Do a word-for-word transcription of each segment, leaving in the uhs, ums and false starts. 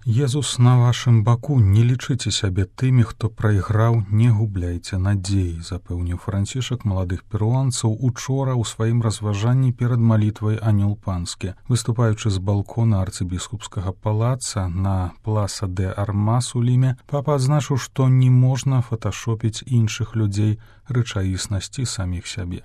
Езус на вашым баку, не лічыце сябе тымі, хто прайграў, не губляйце надзеі, запэўніў Францішак маладых перуанцаў учора ў сваім разважанні перад малітвай Анёл Панскі. Выступаючы з балкона арцыбіскупскага палаца на пласа де Армас у Ліме, папа адзначыў, што не можна фоташопіць іншых людзей рэчаіснасці саміх сябе.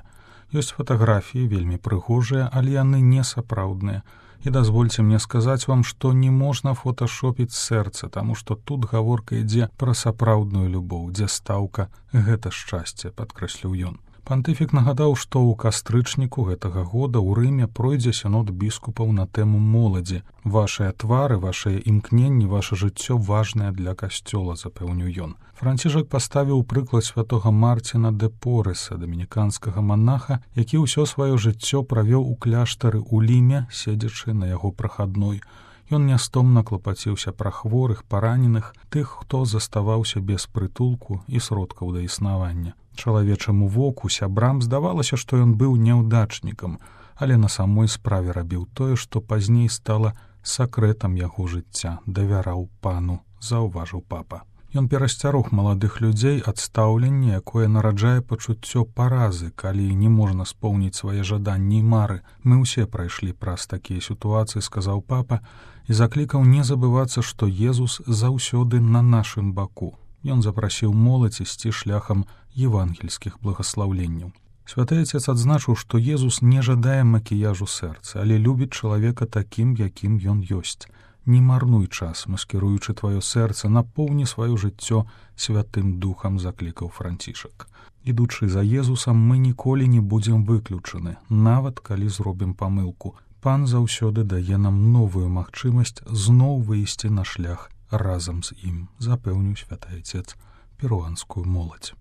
Ёсць фатаграфіі вельмі прыгожыя, але яны не сапраўдныя. І дазвольце мне сказаць вам, што не можна фоташопіць сэрца, таму што тут гаворка ідзе пра сапраўдную любоў, дзе стаўка гэта шчасце, падкрэсліў ён. Пантыфік нагадаў, што ў кастрычніку гэтага года ў Рыме пройдзе сінод біскупаў на тэму моладзі. Вашыя твары, вашыя імкненні, ваша жыццё важнае для касцёла, запэўніў ён. Францішак паставіў прыклад святога Марціна де Пореса, дамініканскага манаха, які ўсё сваё жыццё правёў у кляштары ў Ліме, седзячы на яго прахадной. Ён нястомна клапаціўся пра хворых, параненых, тых, хто заставаўся без прытулку і сродкаў да існавання. Чалавечаму воку, сябрам здавалася, што ён быў няўдачнікам, але на самой справе рабіў тое, што пазней стала сакрэтам яго жыцця, давяраў пану, заўважыў папа. Ён перасцярог маладых людзей ад стаўлення, якое нараджае пачуццё паразы, калі не можна споўніць свае жаданні і мары. Мы ўсе прайшлі праз такія сітуацыі, сказаў папа, і заклікаў не забывацца, што Езус заўсёды на нашым баку. Ён запрасіў моладзь ісці шляхам евангельскіх благаслаўленняў. Святы Отец адзначыў, што Езус не жадае макіяжу сэрца, але любіць чалавека такім, якім ён ёсць. Не марнуй час, маскіруючы тваё сэрца, напоўні сваё жыццё святым духам, заклікаў Францішак. Ідучы за Езусам, мы ніколі не будзем выключаны, нават калі зробім памылку. Пан заўсёды дае нам новую магчымасць зноў выйсці на шлях разам з ім, запэўніў святы Отец перуанскую моладзь.